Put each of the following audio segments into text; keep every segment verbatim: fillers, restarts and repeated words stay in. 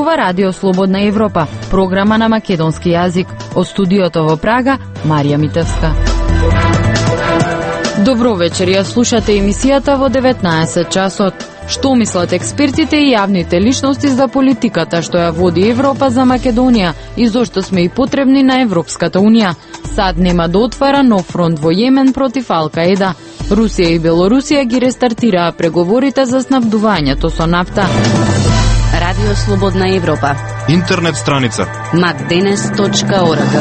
зборува Радио Слободна Европа, програма на македонски јазик. Од студиото во Прага, Марија Митевска. Добро вечер, ја слушате емисијата во деветнаесет часот. Што мислат експертите и јавните личности за политиката што ја води Европа за Македонија и зошто сме и потребни на Европската Унија? САД нема да отвара нов фронт во Јемен против Ал-Каеда. Русија и Белорусија ги рестартираа преговорите за снабдувањето со нафта. Радио Слободна Европа. Интернет страница макденес точка орг.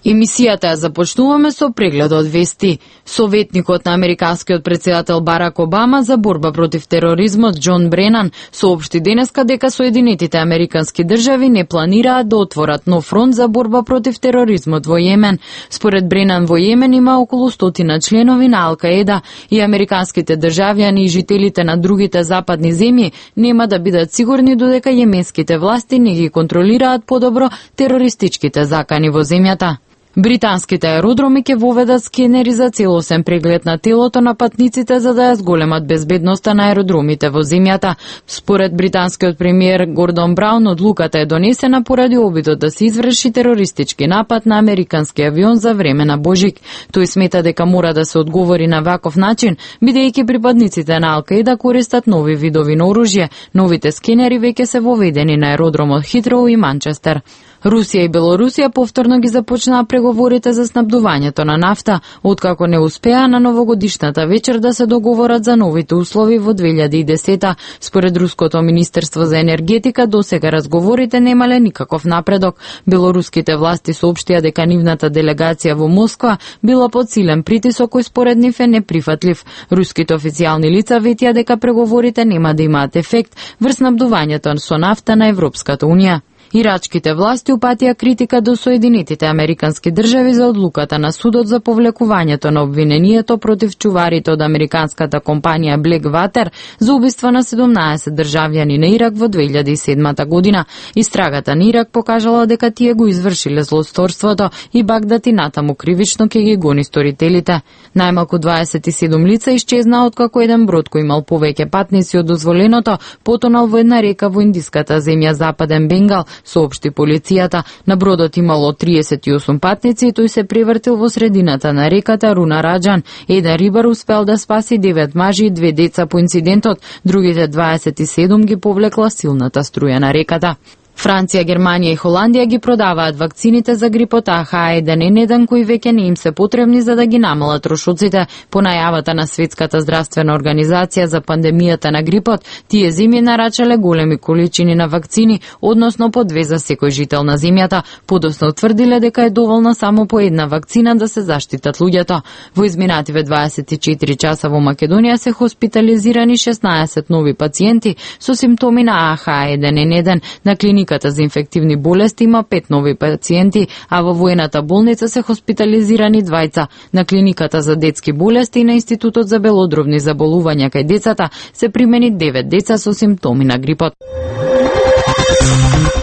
Емисијата ја започнуваме со преглед од вести. Советникот на американскиот претседател Барак Обама за борба против тероризмот Џон Бренан соопшти денеска дека Соединетите американски држави не планираат да отворат нов фронт за борба против тероризмот во Јемен. Според Бренан во Јемен има околу стотина членови на Ал-Каеда и американските државјани и жителите на другите западни земји нема да бидат сигурни додека јеменските власти не ги контролираат подобро терористичките закани во земјата. Британските аеродроми ќе воведат скенери за целосен преглед на телото на патниците за да ја зголемат безбедноста на аеродромите во земјата. Според британскиот премиер Гордон Браун, одлуката е донесена поради обидот да се изврши терористички напад на американски авион за време на Божик. Тој смета дека мора да се одговори на ваков начин, бидејќи припадниците на Ал-Каеда користат нови видови на оружје. Новите скенери веќе се воведени на аеродромот Хитроу и Манчестер. Русија и Белорусија повторно ги започнаа преговорите за снабдувањето на нафта, откако не успеа на новогодишната вечер да се договорат за новите услови во две илјади и десета. Според Руското министерство за енергетика, досега разговорите немале никаков напредок. Белоруските власти соопштија дека нивната делегација во Москва била под силен притисок кој според нив е неприфатлив. Руските официјални лица ветија дека преговорите нема да имаат ефект врз снабдувањето со нафта на Европската Унија. Ирачките власти упатија критика до Соединетите американски држави за одлуката на судот за повлекувањето на обвинението против чуварите од американската компанија Blackwater за убиство на седумнаесет државјани на Ирак во две илјади и седма година. Истрагата на Ирак покажала дека тие го извршиле злосторството и Багдад и натаму кривично ќе ги гони сторителите. Најмалку дваесет и седум лица исчезнаа откако еден брод кој имал повеќе патници од дозволеното потонал во една река во индиската земја Западен Бенгал, соопшти полицијата. На бродот имало триесет и осум патници и тој се превртил во средината на реката Руна Раджан. Еден рибар успел да спаси девет мажи и две деца по инцидентот, другите дваесет и седум ги повлекла силната струја на реката. Франција, Германија и Холандија ги продаваат вакцините за грипот Ах еден ен еден кои веќе не им се потребни за да ги намалат трошоците. По најавата на Светската здравствена организација за пандемијата на грипот, тие земји нарачале големи количини на вакцини, односно по две за секој жител на земјата. Подоцна утврдиле дека е доволна само по една вакцина да се заштитат луѓето. Во изминативе дваесет и четири часа во Македонија се хоспитализирани шеснаесет нови пациенти со симптоми на Ах еден ен еден. На клиника Клиниката за инфективни болести има пет нови пациенти, а во воената болница се хоспитализирани двајца. На клиниката за детски болести и на Институтот за белодробни заболувања кај децата се примени девет деца со симптоми на грипот.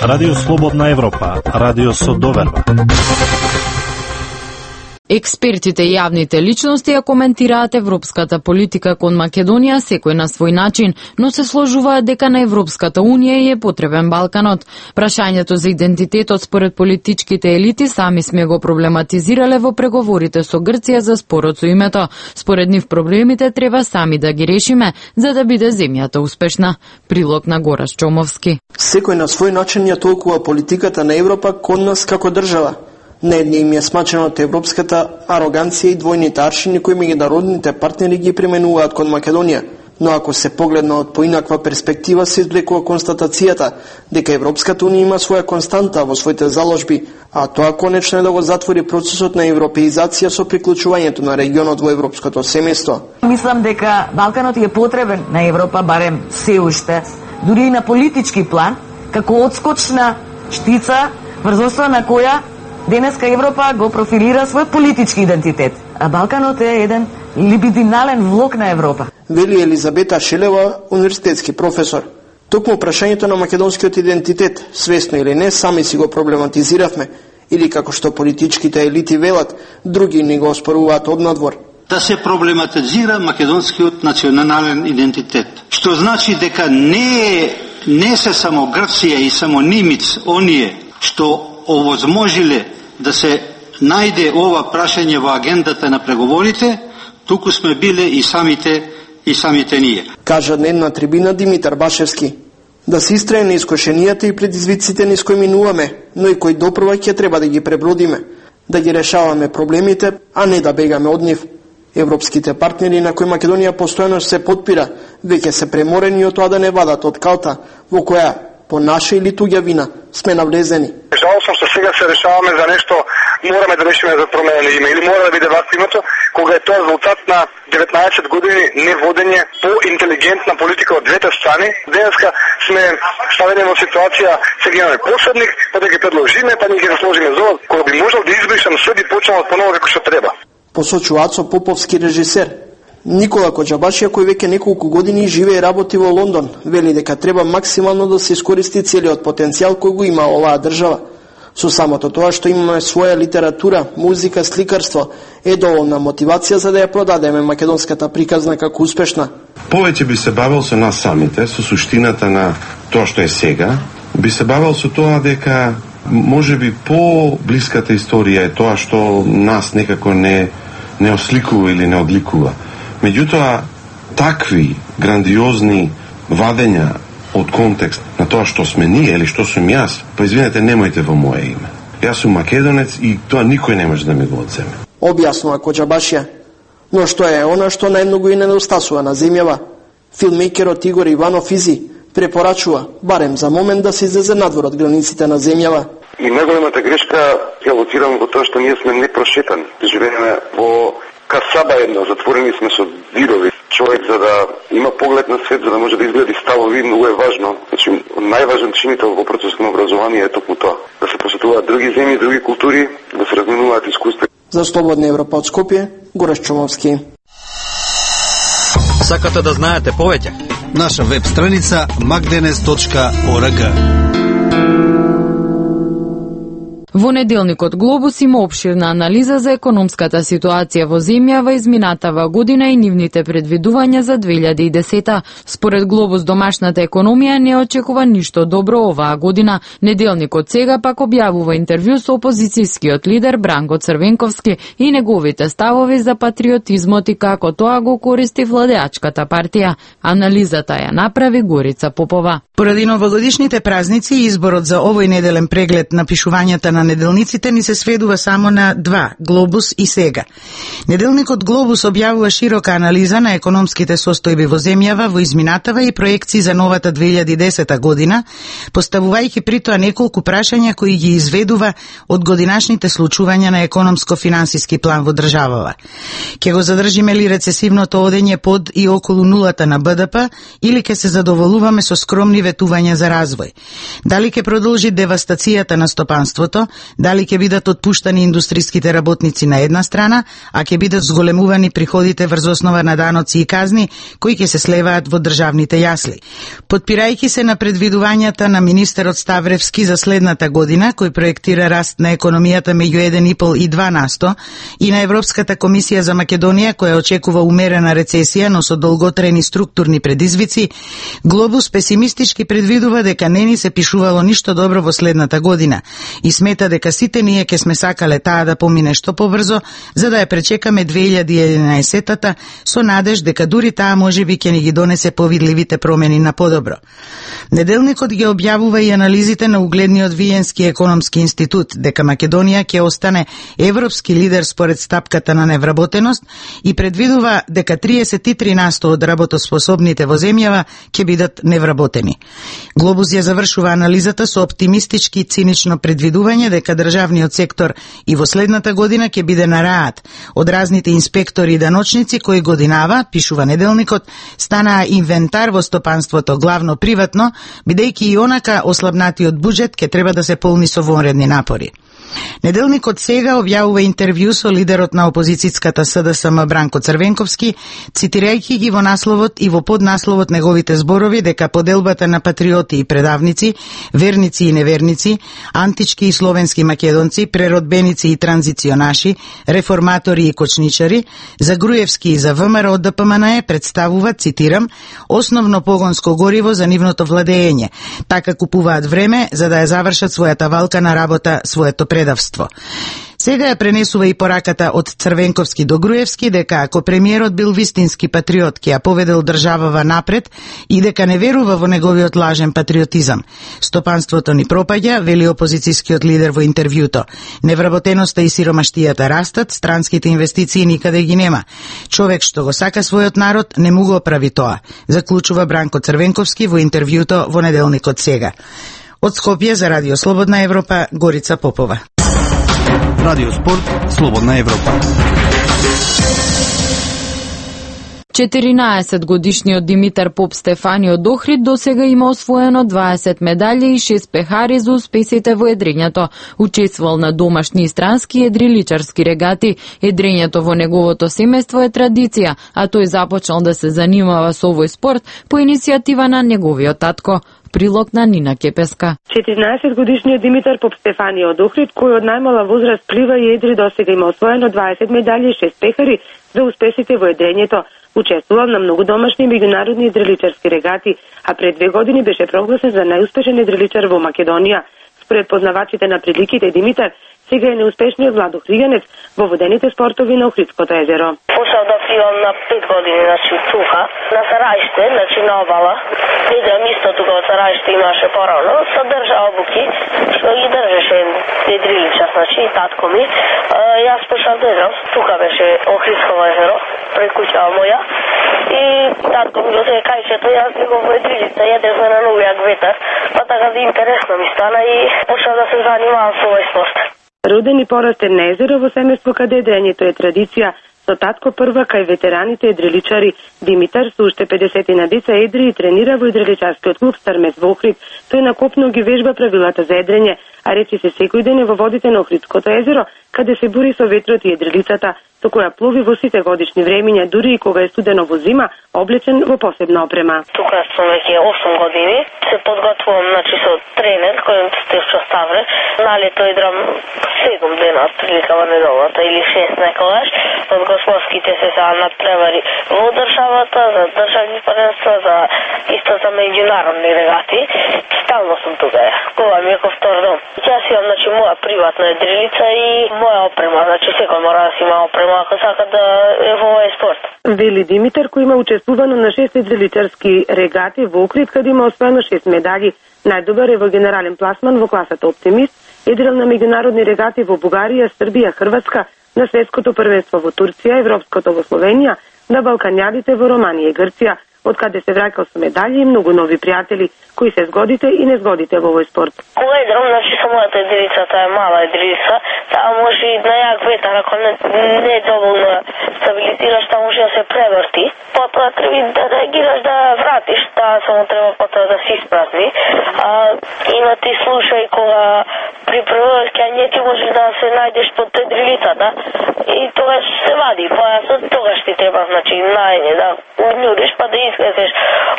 Радио Слободна Европа, радио со доверба. Експертите и јавните личности ја коментираат европската политика кон Македонија секој на свој начин, но се сложуваат дека на Европската Унија е потребен Балканот. Прашањето за идентитетот според политичките елити сами сме го проблематизирале во преговорите со Грција за спорот со името. Според нив проблемите треба сами да ги решиме за да биде земјата успешна. Прилог на Гораш Чомовски. Секој на свој начин ја толкува политиката на Европа кон нас како држава. Не едни им е смачено од европската ароганција и двојните аршини кои меѓународните партнери ги применуваат кон Македонија. Но ако се погледна од поинаква перспектива, се извлекува констатацијата дека Европската Унија има своја константа во своите заложби, а тоа конечно е да го затвори процесот на европеизација со приклучувањето на регионот во европското семејство. Мислам дека Балканот е потребен на Европа, барем се уште, дури и на политички план, како одскочна штица врз основа на која денеска Европа го профилира свој политички идентитет, а Балканот е еден либидинален влог на Европа. Вели Елизабета Шелева, универзитетски професор. Токму прашањето на македонскиот идентитет, свесно или не, сами си го проблематизиравме, или како што политичките елити велат, други ни го оспоруваат однадвор. да се проблематизира македонскиот национален идентитет. Што значи дека не не се само Грција и само Нимиц оние што овозможиле да се најде ова прашање во агендата на преговорите, туку сме биле и самите и самите ние. Кажа днес на трибина Димитар Башевски. Да се истрае на искушенијата и предизвиците низ кои минуваме, но и кои допрва ќе треба да ги пребродиме, да ги решаваме проблемите, а не да бегаме од нив. Европските партнери на кои Македонија постојано се подпира, веќе се преморени од тоа да не вадат од калта, во која по наша или туѓа вина сме навлезени. Жалостно што сега се решаваме за нешто, мораме да решиме за променено име или мора да биде вака името, кога е тоа резултат на деветнаесет години неводење по интелигентна политика од двете страни. Денеска сме ставени во ситуација, сега имаме посредник, па да ги предложиме, па ние ги сложиме зова, кога би можел да избришам све би почнал од поново како што треба. Посочува Ацо Поповски, режисер. Никола Коџабашија, кој веќе неколку години живее и работи во Лондон, вели дека треба максимално да се искористи целиот потенцијал кој го има оваа држава. Со самото тоа што имаме своја литература, музика, сликарство, е доволна мотивација за да ја продадеме македонската приказна како успешна. Повеќе би се бавил со нас самите, со суштината на тоа што е сега, би се бавил со тоа дека може би по-блиската историја е тоа што нас некако не, не осликува или не одликува. Меѓутоа, такви грандиозни вадења од контекст на тоа што сме ние или што сум јас, па извинете, немојте во моje име. Јас сум македонец и тоа никој не може да ми го одземе. Објаснува Коџабашија. Но што е она што најмногу и недостасува на земјава? Филмейкерот Игор Иванов Изи препорачува, барем за момент, да се излезе надвор од границите на земјава. И најголемата грешка ја лоцирам во тоа што ние сме непрошетани. Живееме во касаба една, затворени сме со дирови. Човек за да има поглед на свет, за да може да изгледи ставови, многу е важно. Значи, најважен чинител во процесот на образование е токму тоа. Да се посетуваат други земји, други култури, да се разменуваат искуства. За Слободна Европа од Скопје, Гореш Чомовски. Сакате да знаете повеќе? Наша веб страница макденес точка орг. Во неделникот Глобус има опширна анализа за економската ситуација во земјава изминатава година и нивните предвидувања за две илјади и десета. Според Глобус, домашната економија не очекува ништо добро оваа година. Неделникот сега пак објавува интервју со опозицијскиот лидер Бранко Црвенковски и неговите ставови за патриотизмот и како тоа го користи владеачката партија. Анализата ја направи Горица Попова. Поради новогодишните празници, изборот за овој неделен преглед на пишувањата на неделниците ни се сведува само на два, Глобус и Сега. Неделникот Глобус објавува широка анализа на економските состојби во земјава во изминатава и проекции за новата две илјади и десета година, поставувајќи при тоа неколку прашања кои ги изведува од годинашните случувања на економско-финансиски план во државава. Ке го задржиме ли рецесивното одење под и околу нулата на Б Д П или ке се задоволуваме со скромни ветувања за развој? Дали ке продолжи девастацијата на стопанството? Дали ќе бидат отпуштани индустриските работници на една страна, а ќе бидат зголемувани приходите врз основа на даноци и казни кои ќе се слеваат во државните јасли? Подпирајќи се на предвидувањата на министерот Ставревски за следната година, кој проектира раст на економијата меѓу еден и пол и два на сто, и на Европската комисија за Македонија, која очекува умерена рецесија, но со долготрени структурни предизвици, Глобус песимистички предвидува дека не ни се пишувало ништо добро во следната година и смета дека сите ние ќе сме сакале таа да помине што побрзо, за да ја пречекаме две илјади и единаесета со надеж дека дури таа можеби ќе ни ги донесе повидливите промени на подобро. Неделникот ги објавува и анализите на угледниот Виенски економски институт дека Македонија ќе остане европски лидер според стапката на невработеност и предвидува дека триесет и три на сто од работоспособните во земјава ќе бидат невработени. Глобус ја завршува анализата со оптимистички и цинично предвидување дека државниот сектор и во следната година ќе биде на раат од разните инспектори и даночници кои годинава, пишува неделникот, станаа инвентар во стопанството, главно приватно, бидејќи и онака ослабнатиот буџет ќе треба да се полни со вонредни напори. Неделникот Сега објавува интервју со лидерот на опозицијската СДСМ Бранко Црвенковски, цитирајќи ги во насловот и во поднасловот неговите зборови дека поделбата на патриоти и предавници, верници и неверници, антички и словенски македонци, преродбеници и транзиционаши, реформатори и кочничари, за Груевски и за ВМРО ДПМНЕ представуваат, цитирам, основно погонско гориво за нивното владење. Така купуваат време за да ја завршат својата валка на работа, своето предавство. Сега ја пренесува и пораката од Црвенковски до Груевски дека ако премиерот бил вистински патриот, ќе ја поведел државава напред и дека не верува во неговиот лажен патриотизам. Стопанството ни пропаѓа, вели опозицијскиот лидер во интервјуто. Невработеноста и сиромаштијата растат, странските инвестиции никаде ги нема. Човек што го сака својот народ не му го прави тоа, заклучува Бранко Црвенковски во интервјуто во неделникот Сега. Од Скопје за Радио Слободна Европа, Горица Попова. Радио Спорт, Слободна Европа. четиринаесет годишниот Димитар Поп Стефани од Охрид досега има освоено дваесет медали и шест пехари за успесите во едрењето. Учествувал на домашни и странски едриличарски регати. Едрењето во неговото семејство е традиција, а тој започнал да се занимава со овој спорт по иницијатива на неговиот татко. Прилог на Нина Кепеска. четиринаесет годишниот Димитар Поп Стефани од Охрид, кој од најмала возраст плива и едри, досега има освоено дваесет медали и шест пехари за успесите во едрењето. Учествувал на многу домашни и меѓународни едриличарски регати, а пред две години беше прогласен за најуспешен едриличар во Македонија. Според познавачите на приликите, Димитар сега е неуспешниот Владо Хриганец во водените спортови на Охридското езеро. Почнав да пливам на пет години, значи тука, на Сарајште, значи на обала. Идам исто тука од Сарајште имаше порано, содржа обуки, што ги држеше едриличар, значи и татко ми. Јас почнав да едам, тука беше Охридско езеро, пред куќава моја. И татко ми го се кајчето, јас би го во едрилица, једевме на новијак ветар, па така да интересно ми стана и почнав да се занимавам со овој спорт. Роден и порастен на езеро во семејство каде едрењето е традиција, со татко прва кај ветераните едриличари. Димитар со уште педесетина деца едри и тренира во едриличарскиот клуб Стармет во Охрид. Тој на копно ги вежба правилата за едрење, а речи се секој ден е во водите на Охридското езеро, каде се бури со ветрот и едрилицата, со која плови во сите годишни времиња, дури и кога е студено во зима, облечен во посебна опрема. Тука сум веќе осум години, се подготвувам значи со тренер кој Стефчо Ставре. На лето идрам седум дена прилика во неделата или шест некогаш. Од господските се са надпревари во државата, за државни првенства, за исто за меѓународни регати. Стално сум тука. Кога ми е ко втор дом. Јас имам значи моја приватна едрилица и моја опрема, значи секој мора да си има опрема ако сака да е во овој спорт. Вели Димитар, кој има учествувано на шест едриличарски регати во Охрид, каде има освоено шест медали. Најдобар е во генерален пласман во класата Оптимист, едрил на меѓународни регати во Бугарија, Србија, Хрватска, на светското првенство во Турција, европското во Словенија, на балкањадите во Романија и Грција, од каде се враќал со медали и многу нови пријатели, кои се згодите и не згодите во овој спорт. Кога идрам, значи со мојата едрилица, таа е мала едрилица, таа може и на јак ветар, ако не, не е доволно стабилизираш, таа може да се преврти. Потоа треба да реагираш да вратиш, таа само треба потоа да се испразни. А, има ти случаи кога при првој скање ти можеш да се најдеш под едрилицата и тогаш се вади појасот, тогаш ти треба, значи, најде да унјуриш, па да излезеш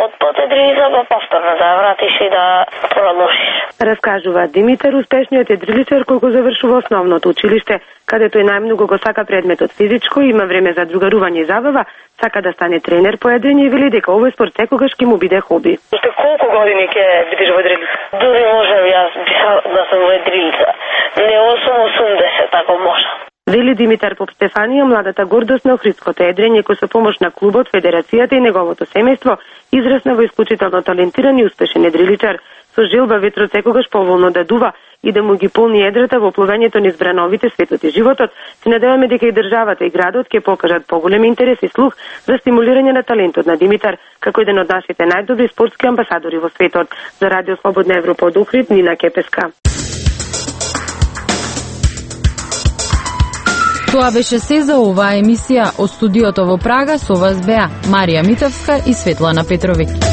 од под едрилица, па повторно да вратиш и да продолжиш. Раскажува Димитар, успешниот едриличар кој го завршува основното училиште, каде тој најмногу го сака предметот физичко, има време за другарување и забава, сака да стане тренер по едрење и вели дека овој спорт секогаш ќе му биде хоби. Уште колку години ќе бидеш во едрилица? Дури можам јас да сум во едрилица. Не осум осумдесет, ако можам. Вели Димитар Поп Стефанија, младата гордост на Охридското едрење, кој со помош на клубот, федерацијата и неговото семејство израсна во исклучително талентиран и успешен едриличар, со желба ветрот секогаш поволно да дува и да му ги полни едрата во пловењето низ брановите светот и животот. Се надеваме дека и државата и градот ќе покажат поголем интерес и слух за стимулирање на талентот на Димитар, како еден од нашите најдобри спортски амбасадори во светот. За Радио Слободна Европа од Охрид, Нина Кепеска. Тоа беше се за оваа емисија од студиото во Прага. Со вас беа Марија Митовска и Светлана Петровиќ.